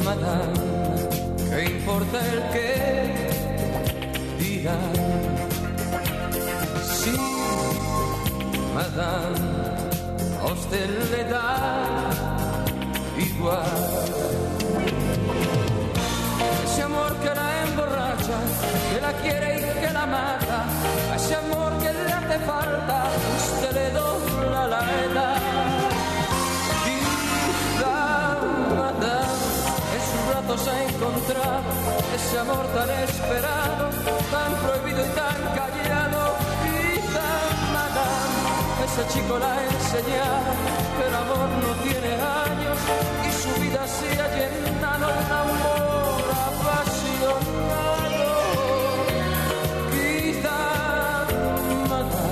Madame, ¿qué importa el que dirán? Sí, madame, a usted le da igual. Ese amor que la emborracha, que la quiere y que la mata, ese amor que le hace falta, usted le dobla la edad. Se ha encontrado ese amor tan esperado, tan prohibido y tan callado. Quizá, madame, ese chico la ha enseñado que el amor no tiene años y su vida se ha llenado de un amor apasionado. Quizá, madame.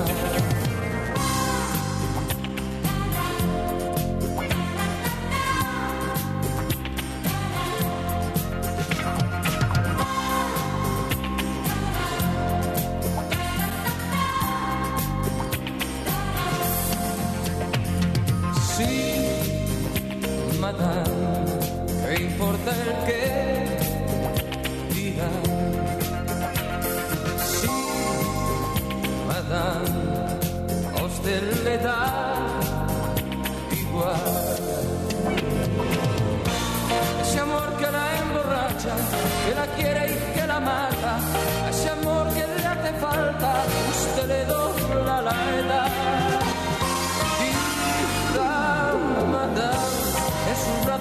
Madame, ¿qué importa el que dirá? Sí, madame, a usted le da igual. Ese amor que la emborracha, que la quiere y que la mata, ese amor que le hace falta, usted le dobla la edad.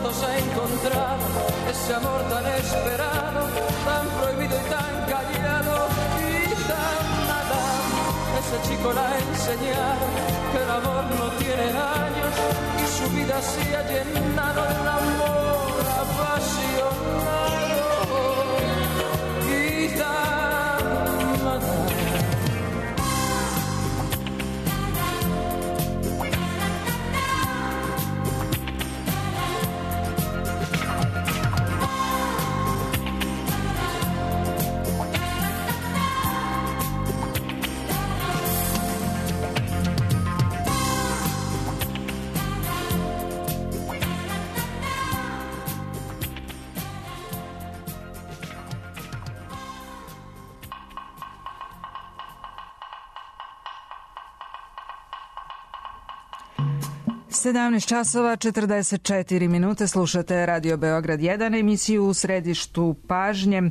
Se ha encontrado ese amor tan esperado, tan prohibido y tan callado. Y tan nada, ese chico la ha enseñado que el amor no tiene años y su vida se ha llenado de un amor apasionado. Y tan nada. Sedamnaest časova 44 minute, slušate Radio Beograd 1, emisiju U središtu pažnje.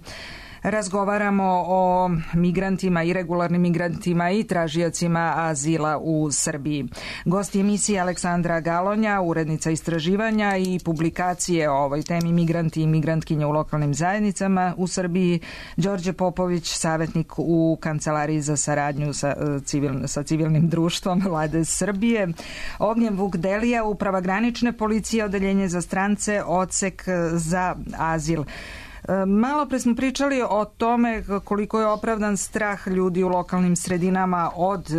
Razgovaramo o migrantima, irregularnim migrantima i tražiocima azila u Srbiji. Gost emisije Aleksandra Galonja, urednica istraživanja i publikacije o ovoj temi migranti i migrantkinje u lokalnim zajednicama u Srbiji, Đorđe Popović, savjetnik u Kancelariji za saradnju sa civilnim društvom Vlade Srbije, Ognjen Vukdelija, Uprava granične policije, Odeljenje za strance, Odsek za azil. Malo pre smo pričali o tome koliko je opravdan strah ljudi u lokalnim sredinama od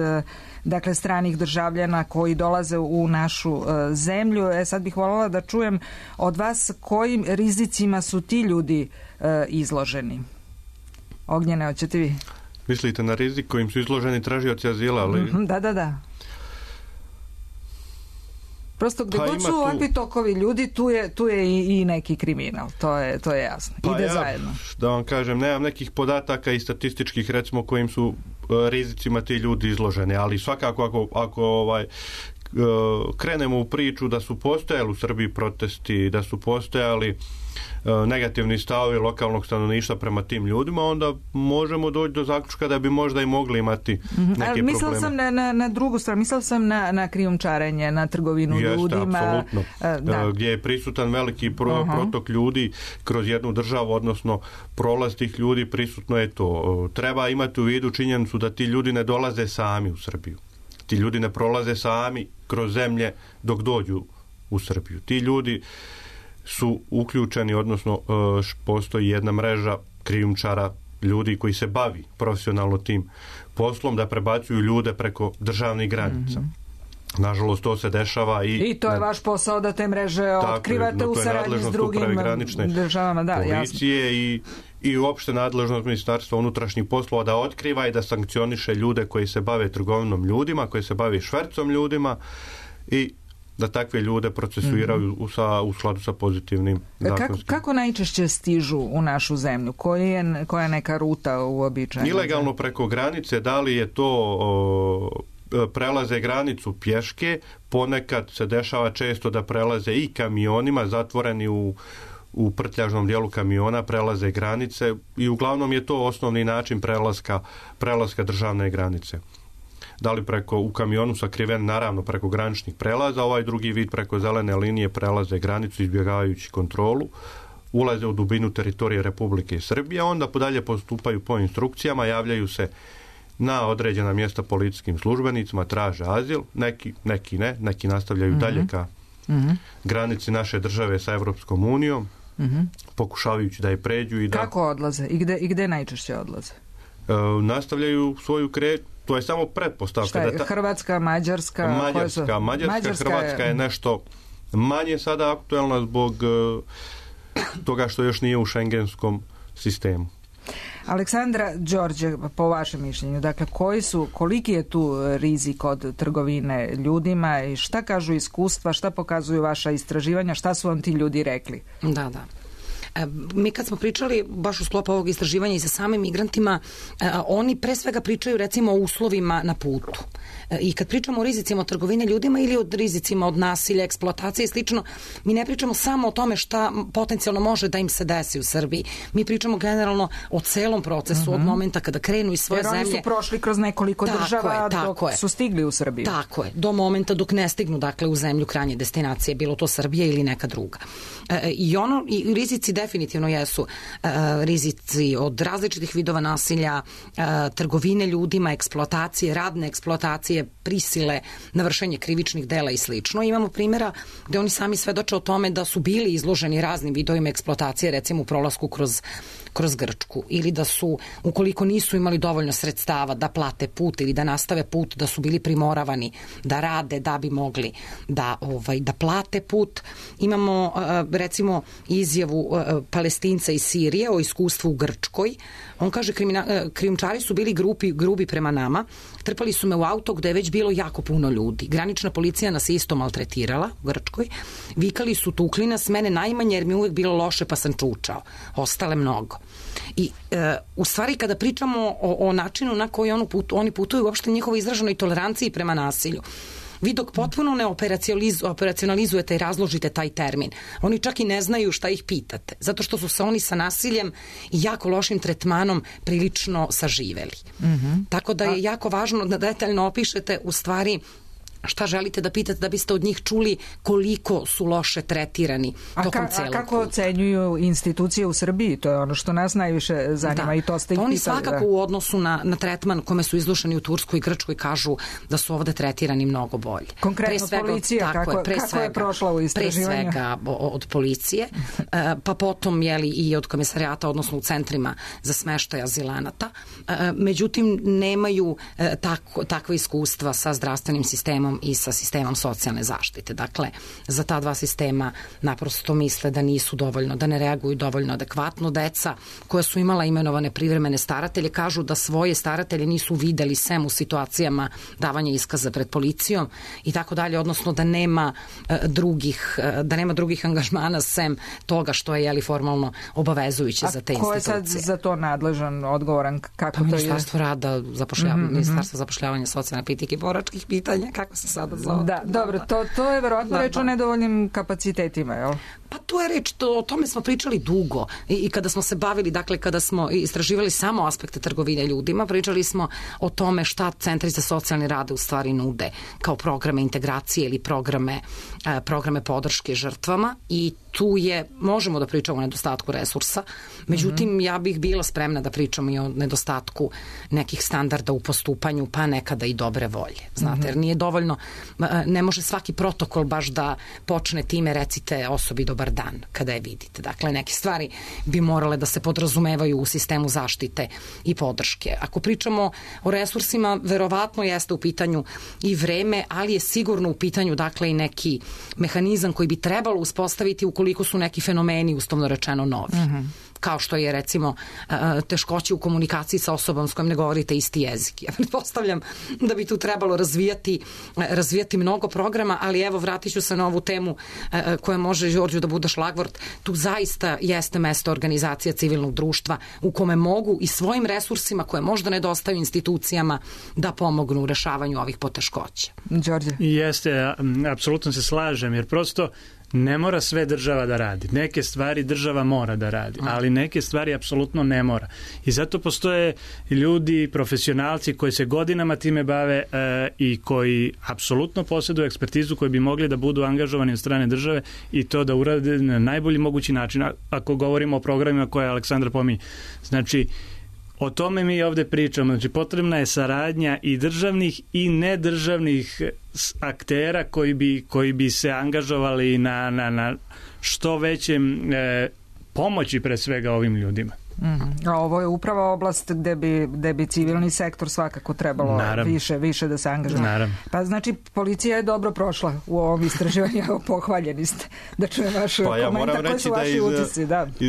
stranih državljana koji dolaze u našu zemlju. Sad bih voljela da čujem od vas kojim rizicima su ti ljudi izloženi. Ognjene, hoćete vi? Mislite na rizik kojim su izloženi tražioci azila? Ali... Da. Prosto gde god su ovakvi tokovi ljudi, tu je i neki kriminal, to je jasno. Ide zajedno. Da vam kažem, nemam nekih podataka i statističkih, recimo, kojim su rizicima ti ljudi izloženi, ali svakako ako krenemo u priču da su postojali u Srbiji protesti, da su postojali negativni stavovi lokalnog stanovništva prema tim ljudima, onda možemo doći do zaključka da bi možda i mogli imati neke probleme. Mislila sam na drugu stranu, mislila sam na krijumčarenje, na trgovinu ljudima. Apsolutno. Gdje je prisutan veliki protok ljudi kroz jednu državu, odnosno prolaz tih ljudi, prisutno je to. Treba imati u vidu činjenicu da ti ljudi ne dolaze sami u Srbiju. Ti ljudi ne prolaze sami kroz zemlje dok dođu u Srbiju. Ti ljudi su uključeni, odnosno postoji jedna mreža krijumčara, ljudi koji se bavi profesionalno tim poslom, da prebacuju ljude preko državnih granica. Nažalost, to se dešava i to je vaš posao da te mreže otkrivate u saradnji s drugim državama. Policije i uopšte nadležnost Ministarstva unutrašnjih poslova da otkriva i da sankcioniše ljude koji se bave trgovinom ljudima, koji se bave švercom ljudima i da takve ljude procesuiraju u skladu sa pozitivnim zakonskim. Kako najčešće stižu u našu zemlju? Koja je neka ruta uobičajena? Ilegalno preko granice, da li je to prelaze granicu pješke, ponekad se dešava često da prelaze i kamionima, zatvoreni u prtljažnom dijelu kamiona, prelaze granice i uglavnom je to osnovni način prelaska državne granice. Da li u kamionu sakriven, naravno preko graničnih prelaza, ovaj drugi vid preko zelene linije prelaze granicu izbjegavajući kontrolu, ulaze u dubinu teritorije Republike Srbije, onda dalje postupaju po instrukcijama, javljaju se na određena mjesta policijskim službenicima, traže azil, neki ne, neki nastavljaju dalje ka granici naše države sa Evropskom unijom, pokušavajući da je pređu. Kako odlaze? I gde najčešće odlaze? Nastavljaju svoju to je samo pretpostavka. Šta je, Hrvatska, Mađarska? Mađarska, Hrvatska je nešto manje sada aktuelna zbog toga što još nije u šengenskom sistemu. Aleksandra, Đorđe, po vašem mišljenju, dakle, koliki je tu rizik od trgovine ljudima i šta kažu iskustva, šta pokazuju vaša istraživanja, šta su vam ti ljudi rekli? Da. Mi kad smo pričali baš u sklopu ovog istraživanja i sa samim migrantima, oni pre svega pričaju recimo o uslovima na putu. I kad pričamo o rizicima od trgovine ljudima ili o rizicima od nasilja, eksploatacije i slično, mi ne pričamo samo o tome šta potencijalno može da im se desi u Srbiji. Mi pričamo generalno o celom procesu, od momenta kada krenu iz svoje zemlje. Jer oni su prošli kroz nekoliko država dok su stigli u Srbiju. Tako je, do momenta dok ne stignu, dakle, u zemlju krajnje destinacije, bilo to Srbija ili neka druga. I rizici definitivno jesu rizici od različitih vidova nasilja, trgovine ljudima, eksploatacije, radne eksploatacije, prisile na vršenje krivičnih dela i slično. Imamo primjera gde oni sami svedoče o tome da su bili izloženi raznim vidovima eksploatacije, recimo u prolasku kroz Grčku, ili da su, ukoliko nisu imali dovoljno sredstava da plate put ili da nastave put, da su bili primoravani da rade da bi mogli da plate put. Imamo recimo izjavu Palestinca iz Sirije o iskustvu u Grčkoj. On kaže, krijumčari su bili grubi prema nama, trpali su me u auto gde je već bilo jako puno ljudi. Granična policija nas isto maltretirala u Grčkoj. Vikali su, tukli nas, mene najmanje jer mi uvek bilo loše pa sam čučao. Ostale mnogo. I u stvari kada pričamo o načinu na koji oni putuju, uopšte njihovo izraženoj toleranciji prema nasilju, vi dok potpuno ne operacionalizujete i razložite taj termin, oni čak i ne znaju šta ih pitate, zato što su se oni sa nasiljem i jako lošim tretmanom prilično saživeli. Tako da je jako važno da detaljno opišete u stvari šta želite da pitate da biste od njih čuli koliko su loše tretirani tokom celog puta. A kako ocenjuju institucije u Srbiji? To je ono što nas najviše zanima i to ste ih pitali. Oni svakako u odnosu na tretman kome su izlušani u Turskoj i Grčkoj kažu da su ovde tretirani mnogo bolje. Konkretno policija, kako je prošla u istraživanju? Pre svega od policije, pa potom i od komisarijata, odnosno u centrima za smeštaj azilanata. Međutim, nemaju takva iskustva sa zdravstvenim sistemom i sa sistemom socijalne zaštite. Dakle, za ta dva sistema naprosto misle da nisu dovoljno, da ne reaguju dovoljno adekvatno. Deca koja su imala imenovane privremene staratelje kažu da svoje staratelje nisu videli sem u situacijama davanja iskaza pred policijom i tako dalje, odnosno da nema drugih angažmana sem toga što je formalno obavezujuće za te institucije. A ko je sad za to nadležan, odgovoran? Kako to je? Ministarstvo rada, Ministarstvo zapošljavanja, socijalne politike i boračkih pitanja, kako se se sada zove. Da, dobro, to je verovatno reč o nedovoljnim kapacitetima, jel? Pa to je reč, o tome smo pričali dugo i kada smo se bavili, dakle kada smo istraživali samo aspekte trgovine ljudima, pričali smo o tome šta centri za socijalni rad u stvari nude kao programe integracije ili programe podrške žrtvama i tu možemo da pričamo o nedostatku resursa, međutim ja bih bila spremna da pričamo i o nedostatku nekih standarda u postupanju, pa nekada i dobre volje, znate, jer nije dovoljno, ne može svaki protokol baš da počne time recite osobi dobar dan kada je vidite. Dakle, neke stvari bi morale da se podrazumevaju u sistemu zaštite i podrške. Ako pričamo o resursima, verovatno jeste u pitanju i vreme, ali je sigurno u pitanju dakle i neki mehanizam koji bi trebalo uspostaviti ukoliko su neki fenomeni uslovno rečeno novi. Kao što je recimo teškoće u komunikaciji sa osobom s kojom ne govorite isti jezik. Ja pretpostavljam da bi tu trebalo razvijati mnogo programa, ali evo vratit ću se na ovu temu koja može Đorđu da bude šlagvort. Tu zaista jeste mesto organizacija civilnog društva u kome mogu i svojim resursima koje možda nedostaju institucijama da pomognu u rešavanju ovih poteškoća. Đorđe? Jeste, apsolutno se slažem, jer prosto ne mora sve država da radi. Neke stvari država mora da radi, ali neke stvari apsolutno ne mora. I zato postoje ljudi, profesionalci koji se godinama time bave i koji apsolutno posjeduju ekspertizu koji bi mogli da budu angažovani od strane države i to da urade na najbolji mogući način. Ako govorimo o programima koje Aleksandra pominje. Znači, o tome mi ovde pričamo. Znači, potrebna je saradnja i državnih i nedržavnih aktera koji bi se angažovali na što većem pomoći pre svega ovim ljudima. A ovo je upravo oblast gde bi civilni sektor svakako trebalo više da se angažuje. Pa znači policija je dobro prošla u ovom istraživanju, pohvaljeni ste da čujem vaš komentar, koji su vaši utisci.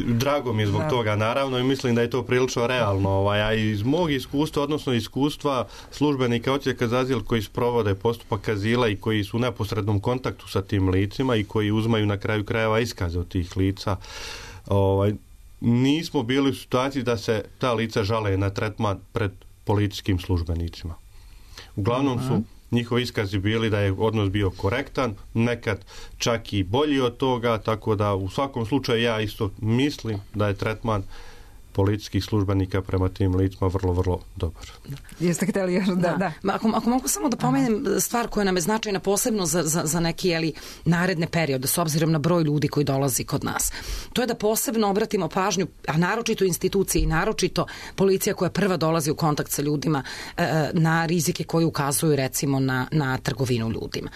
Drago mi je zbog toga, naravno, i mislim da je to prilično realno. A iz mog iskustva, odnosno iskustva službenika odsjeka za azil koji sprovode postupak azila i koji su u neposrednom kontaktu sa tim licima i koji uzmaju na kraju krajeva iskaze od tih lica, nismo bili u situaciji da se ta lica žale na tretman pred policijskim službenicima. Uglavnom su njihovi iskazi bili da je odnos bio korektan, nekad čak i bolji od toga, tako da u svakom slučaju ja isto mislim da je tretman policijskih službenika prema tim licima vrlo, vrlo dobar. Jeste htjeli još? Da. Ako mogu samo da pomenem stvar koja nam je značajna posebno za neki naredne periode, s obzirom na broj ljudi koji dolazi kod nas. To je da posebno obratimo pažnju, a naročito institucije i naročito policija koja prva dolazi u kontakt sa ljudima na rizike koji ukazuju recimo na trgovinu ljudima.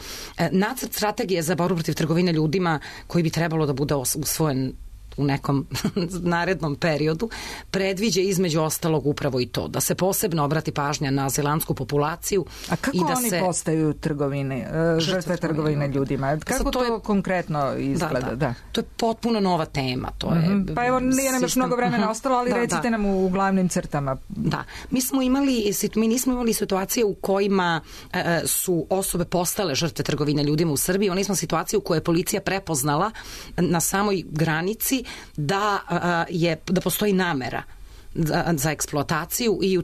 Nacrt strategije za borbu protiv trgovine ljudima koji bi trebalo da bude usvojen u nekom narednom periodu, predviđa između ostalog upravo i to, da se posebno obrati pažnja na azilantsku populaciju. A kako oni postaju žrtve trgovine ljudima? Kako to konkretno izgleda? Da. To je potpuno nova tema. Pa evo, nije nam još mnogo vremena ostalo, ali recite nam u glavnim crtama. Da. Mi nismo imali situacije u kojima su osobe postale žrtve trgovine ljudima u Srbiji. Oni smo situacije u kojoj je policija prepoznala na samoj granici da postoji namera za eksploataciju i u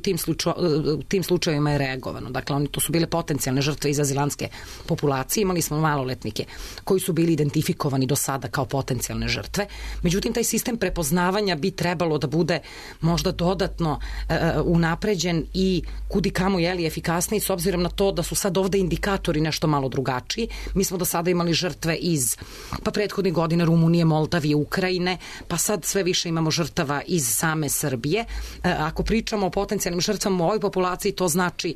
tim slučajevima je reagovano. Dakle, to su bile potencijalne žrtve iz azilantske populacije. Imali smo maloletnike koji su bili identifikovani do sada kao potencijalne žrtve. Međutim, taj sistem prepoznavanja bi trebalo da bude možda dodatno unapređen i kudikamo efikasniji s obzirom na to da su sad ovde indikatori nešto malo drugačiji. Mi smo do sada imali žrtve iz prethodnih godina Rumunije, Moldavije, Ukrajine, pa sad sve više imamo žrtava iz same Srbije. Ako pričamo o potencijalnim žrtvama u ovoj populaciji, to znači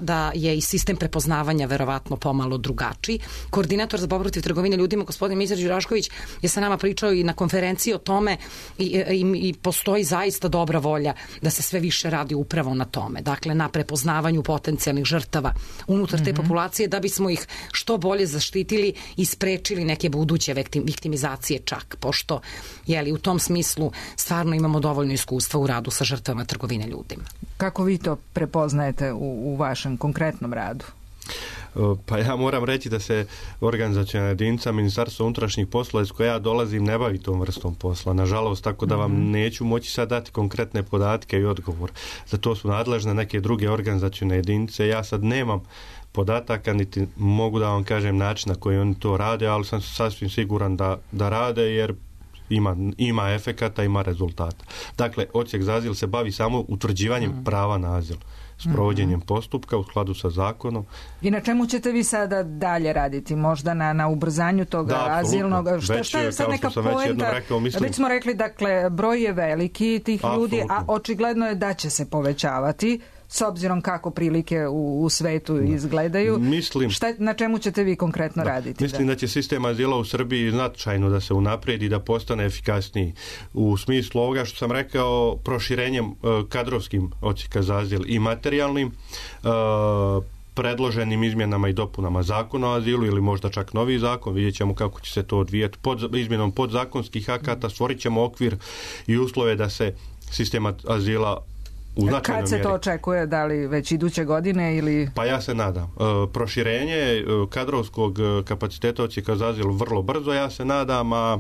da je i sistem prepoznavanja verovatno pomalo drugačiji. Koordinator za borbu protiv trgovine ljudima, gospodin Mizar Đurašković, je sa nama pričao i na konferenciji o tome i postoji zaista dobra volja da se sve više radi upravo na tome. Dakle, na prepoznavanju potencijalnih žrtava unutar te populacije da bismo ih što bolje zaštitili i sprečili neke buduće viktimizacije čak, pošto u tom smislu stvarno imamo dovoljno iskustva u radu sa žrtvama trgovine ljudima. Kako vi to prepoznajete u vašem konkretnom radu? Pa ja moram reći da se organizaciona jedinica Ministarstva unutrašnjih poslova iz koje ja dolazim ne bavi tom vrstom posla. Nažalost, tako da vam neću moći sad dati konkretne podatke i odgovor. Za to su nadležne neke druge organizacione jedinice. Ja sad nemam podataka, niti mogu da vam kažem način na koji oni to rade, ali sam sasvim siguran da rade, jer ima efekata, ima rezultata. Dakle, odsjek za azil se bavi samo utvrđivanjem prava na azil, s provođenjem postupka u skladu sa zakonom. I na čemu ćete vi sada dalje raditi? Možda na ubrzanju toga azilnog? Šta je sad neka poenta? Već smo rekli, dakle, broj je veliki tih ljudi, a očigledno je da će se povećavati s obzirom kako prilike u svetu izgledaju. Na čemu ćete vi konkretno raditi? Mislim da će sistem azila u Srbiji značajno da se unaprijedi, da postane efikasniji. U smislu ovoga što sam rekao, proširenjem kadrovskim odsjeka za azil i materijalnim, predloženim izmjenama i dopunama zakona o azilu ili možda čak novi zakon, vidjet ćemo kako će se to odvijeti. Izmjenom podzakonskih akata stvorit ćemo okvir i uslove da se sistem azila kad se to očekuje, da li već iduće godine ili... Pa ja se nadam. Proširenje kadrovskog kapaciteta odsjeka za azil vrlo brzo, ja se nadam, a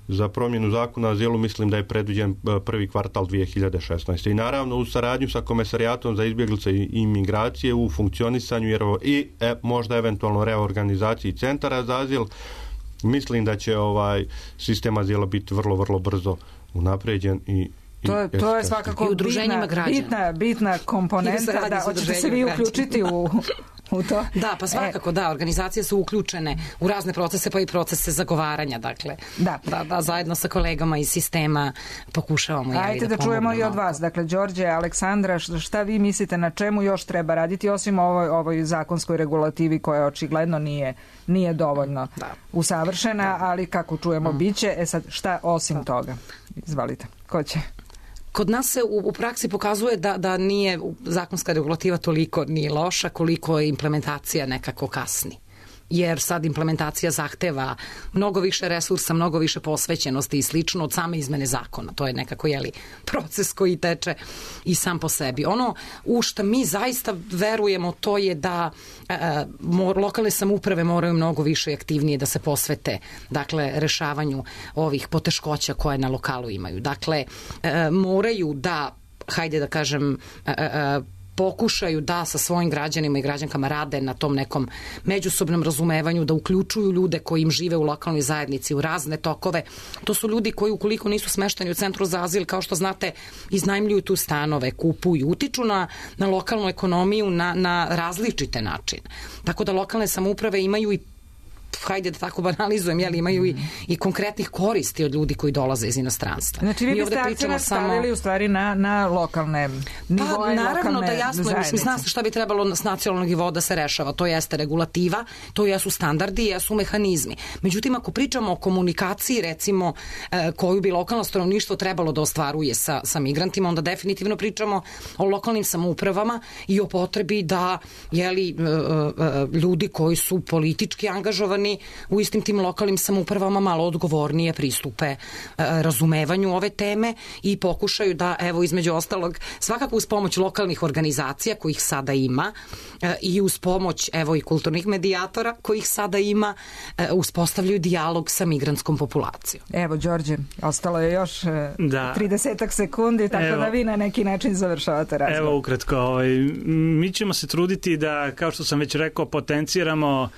za promjenu zakona o azilu mislim da je predviđen prvi kvartal 2016. I naravno u saradnju sa Komesarijatom za izbjeglice i imigracije u funkcionisanju i možda eventualno reorganizaciji centara za azil, mislim da će sistem azila biti vrlo, vrlo brzo unapređen i To je svakako bitna komponenta. Da, hoćete se vi uključiti u to? Da, pa svakako da, organizacije su uključene u razne procese, pa i procese zagovaranja, dakle. Da, zajedno sa kolegama iz sistema pokušavamo da pomognemo. Ajde da čujemo i od vas. Dakle, Đorđe, Aleksandra, šta vi mislite, na čemu još treba raditi, osim ovoj zakonskoj regulativi koja očigledno nije dovoljno usavršena, ali kako čujemo biće. Sad, šta osim toga? Izvalite, ko će? Kod nas se u praksi pokazuje da nije zakonska regulativa toliko nije loša koliko je implementacija nekako kasni. Jer sad implementacija zahteva mnogo više resursa, mnogo više posvećenosti i slično od same izmene zakona. To je nekako proces koji teče i sam po sebi. Ono u što mi zaista verujemo to je da lokalne samouprave moraju mnogo više i aktivnije da se posvete, dakle, rešavanju ovih poteškoća koje na lokalu imaju. Dakle, moraju da, hajde da kažem, pokušaju da sa svojim građanima i građankama rade na tom nekom međusobnom razumevanju, da uključuju ljude koji im žive u lokalnoj zajednici, u razne tokove. To su ljudi koji ukoliko nisu smešteni u centru za azil, kao što znate, iznajmljuju tu stanove, kupuju, utiču na lokalnu ekonomiju na različite načine. Tako da lokalne samouprave imaju i hajde da tako banalizujem, imaju i konkretnih koristi od ljudi koji dolaze iz inostranstva. Znači vi biste akcenat stavili u stvari na lokalne nivoje, naravno da jasno, zna se šta bi trebalo s nacionalnog nivoa da se rešava. To jeste regulativa, to jesu standardi, jesu mehanizmi. Međutim, ako pričamo o komunikaciji, recimo, koju bi lokalno stanovništvo trebalo da ostvaruje sa migrantima, onda definitivno pričamo o lokalnim samoupravama i o potrebi da ljudi koji su politički angažovani u istim tim lokalnim samoupravama malo odgovornije pristupe razumevanju ove teme i pokušaju da, evo, između ostalog, svakako uz pomoć lokalnih organizacija kojih sada ima i uz pomoć, evo, i kulturnih medijatora kojih sada ima, uspostavljaju dijalog sa migrantskom populacijom. Evo, Đorđe, ostalo je još 30 sekundi, tako da vi na neki način završavate razgovor. Evo, ukratko, mi ćemo se truditi da, kao što sam već rekao, potenciramo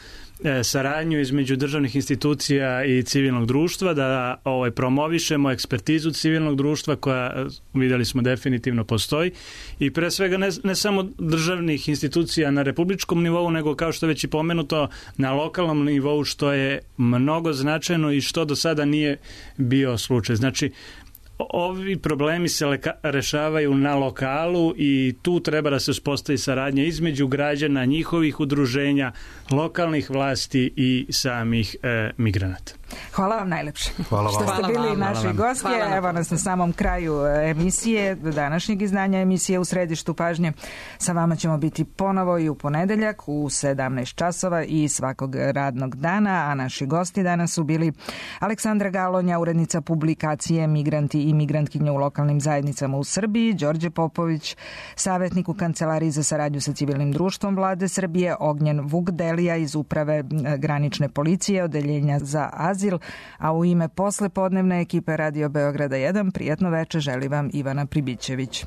saradnju između državnih institucija i civilnog društva, da promovišemo ekspertizu civilnog društva koja, vidjeli smo, definitivno postoji i pre svega ne samo državnih institucija na republičkom nivou, nego kao što je već i pomenuto na lokalnom nivou, što je mnogo značajno i što do sada nije bio slučaj. Znači, ovi problemi se rešavaju na lokalu i tu treba da se uspostavi saradnja između građana, njihovih udruženja, lokalnih vlasti i samih migranata. Hvala vam najlepše. Hvala vam. Što ste bili naši gosti. Evo nas na samom kraju emisije, današnjeg izdanja emisije U središtu pažnje. Sa vama ćemo biti ponovo i u ponedeljak u 17 časova i svakog radnog dana, a naši gosti danas su bili Aleksandra Galonja, urednica publikacije Migranti i migrantkinje u lokalnim zajednicama u Srbiji, Đorđe Popović, savjetnik u Kancelariji za saradnju sa civilnim društvom Vlade Srbije, Ognjen Vukdelija iz Uprave granične policije, Odeljenja za azil, a u ime poslepodnevne ekipe Radio Beograda 1 prijatno veče želi vam Ivana Pribićević.